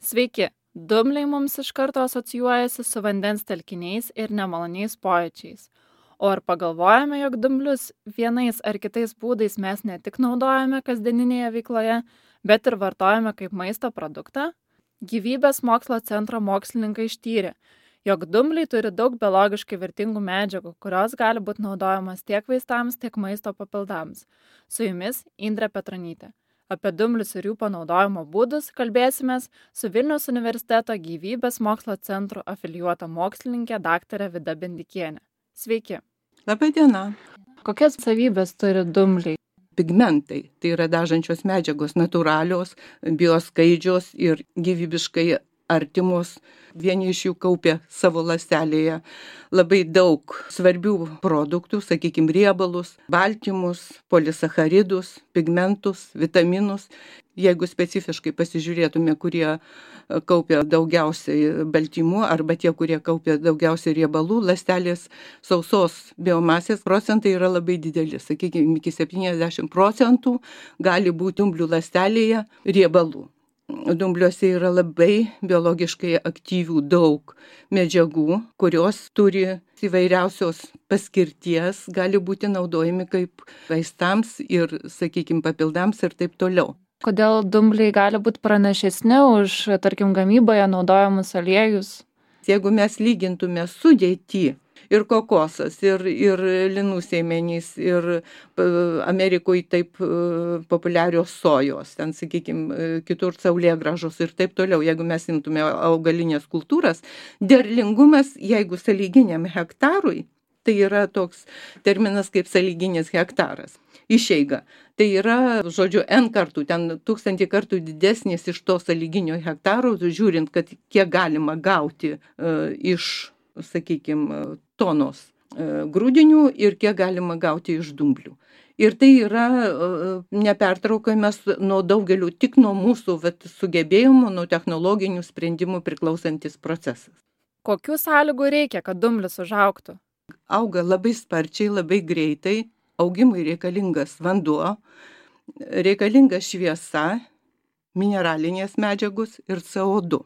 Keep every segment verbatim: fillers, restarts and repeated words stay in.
Sveiki, dumbliai mums iš karto asocijuojasi su vandens telkiniais ir nemaloniais pojūčiais. O ar pagalvojame, jog dumblius vienais ar kitais būdais mes ne tik naudojame kasdieninėje veikloje, bet ir vartojame kaip maisto produktą? Gyvybės mokslo centro mokslininkai ištyrė, jog dumbliai turi daug biologiškai vertingų medžiagų, kurios gali būti naudojamas tiek vaistams, tiek maisto papildams. Su jumis Indrė Petronytė. Apie dumblius ir jų panaudojimo būdus kalbėsimės su Vilniaus universiteto gyvybės mokslo centro afilijuota mokslininkė daktarė Vida Bendikienė. Sveiki. Labai diena. Kokias savybės turi dumbliai? Pigmentai, tai yra dažančios medžiagos, natūralios, bioskaidžios ir gyvybiškai artimos. Vieni iš jų kaupia savo ląstelėje labai daug svarbių produktų, sakykime, riebalus, baltymus, polisacharidus, pigmentus, vitaminus. Jeigu specifiškai pasižiūrėtume, kurie kaupia daugiausiai baltymų arba tie, kurie kaupia daugiausiai riebalų, ląstelės sausos biomasės procentai yra labai dideli. Sakykime, iki septyniasdešimt procentų gali būti dumblių ląstelėje riebalų. Dumbliuose yra labai biologiškai aktyvių daug medžiagų, kurios turi įvairiausios paskirties, gali būti naudojami kaip vaistams ir, sakykime, papildams ir taip toliau. Kodėl dumbliai gali būti pranašesni už, tarkim, gamyboje naudojamus aliejus? Jeigu mes lygintume sudėtį ir kokosas, ir, ir linų sėmenys, ir Amerikoje taip populiarios sojos, ten, sakykime, kitur saulėgrąžos ir taip toliau. Jeigu mes imtume augalinės kultūras, derlingumas, jeigu sąlyginiam hektarui, tai yra toks terminas kaip sąlyginis hektaras, išeiga. Tai yra, žodžiu, N kartų, ten tūkstantį kartų didesnis iš to sąlyginio hektaro, žiūrint, kad kiek galima gauti uh, iš, sakykime, tonos uh, grūdinių ir kiek galima gauti iš dumblių. Ir tai yra uh, nepertraukiamas nuo daugelių, tik nuo mūsų vat, sugebėjimų, nuo technologinių sprendimų priklausantis procesas. Kokių sąlygų reikia, kad dumblis užaugtų? Auga labai sparčiai, labai greitai. Augimui reikalingas vanduo, reikalinga šviesa, mineralinės medžiagos ir C O du.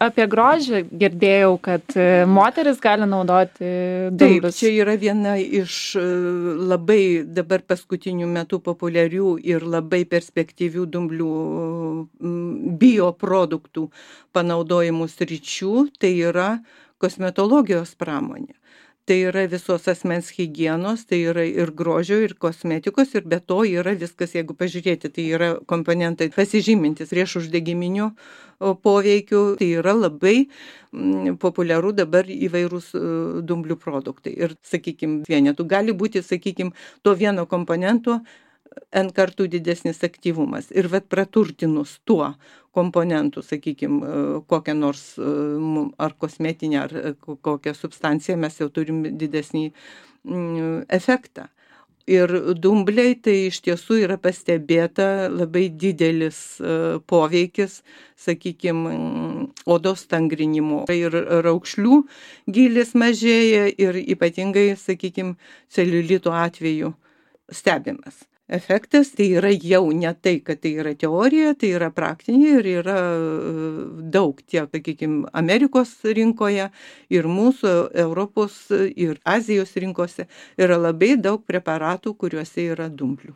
Apie grožį girdėjau, kad moteris gali naudoti dumblius. Taip, čia yra viena iš labai dabar paskutinių metų populiarių ir labai perspektyvių dumblių bioproduktų panaudojimų sričių, tai yra kosmetologijos pramonė. Tai yra visos asmens higienos, tai yra ir grožio, ir kosmetikos, ir be to yra viskas, jeigu pažiūrėti, tai yra komponentai pasižymintis riešuždegiminiu poveikiu, tai yra labai mm, populiaru dabar įvairūs uh, dumblių produktai. Ir, sakykime, vienetų gali būti, sakykime, to vieno komponento N kartų didesnis aktyvumas. Ir vat praturtinus tuo komponentu, sakykime, kokią nors ar kosmetinę, ar kokią substanciją, mes jau turim didesnį efektą. Ir dumbliai tai iš tiesų yra pastebėta labai didelis poveikis, sakykime, odos stangrinimo. Ir raukšlių gylis mažėja ir ypatingai, sakykime, celiulito atveju stebimas. Efektas tai yra jau ne tai, kad tai yra teorija, tai yra praktinė ir yra daug tiek, sakykime, Amerikos rinkoje ir mūsų Europos ir Azijos rinkose yra labai daug preparatų, kuriuose yra dumblių.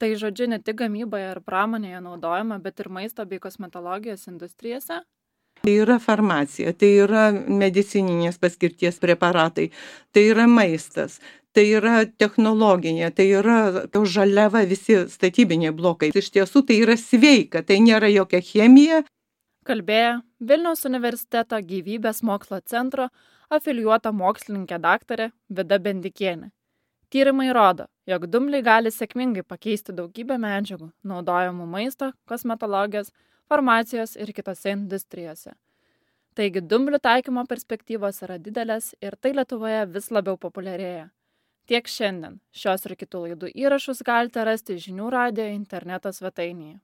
Tai žodžiu, ne tik gamyboje ir pramonėje naudojama, bet ir maisto bei kosmetologijos industrijose? Tai yra farmacija, tai yra medicininės paskirties preparatai, tai yra maistas, tai yra technologinė, tai yra žaliava, visi statybiniai blokai. Iš tiesų tai yra sveika, tai nėra jokia chemija. Kalbėjo Vilniaus universiteto gyvybės mokslo centro afilijuota mokslininkė daktarė Vida Bendikienė. Tyrimai rodo, jog dumbliai gali sėkmingai pakeisti daugybę medžiagų, naudojamų maisto, kosmetologijos, farmacijos ir kitose industrijose. Taigi dumblių taikymo perspektyvos yra didelės ir tai Lietuvoje vis labiau populiarėja. Tiek šiandien. Šios ir kitų laidų įrašus galite rasti žinių radijo interneto svetainėje.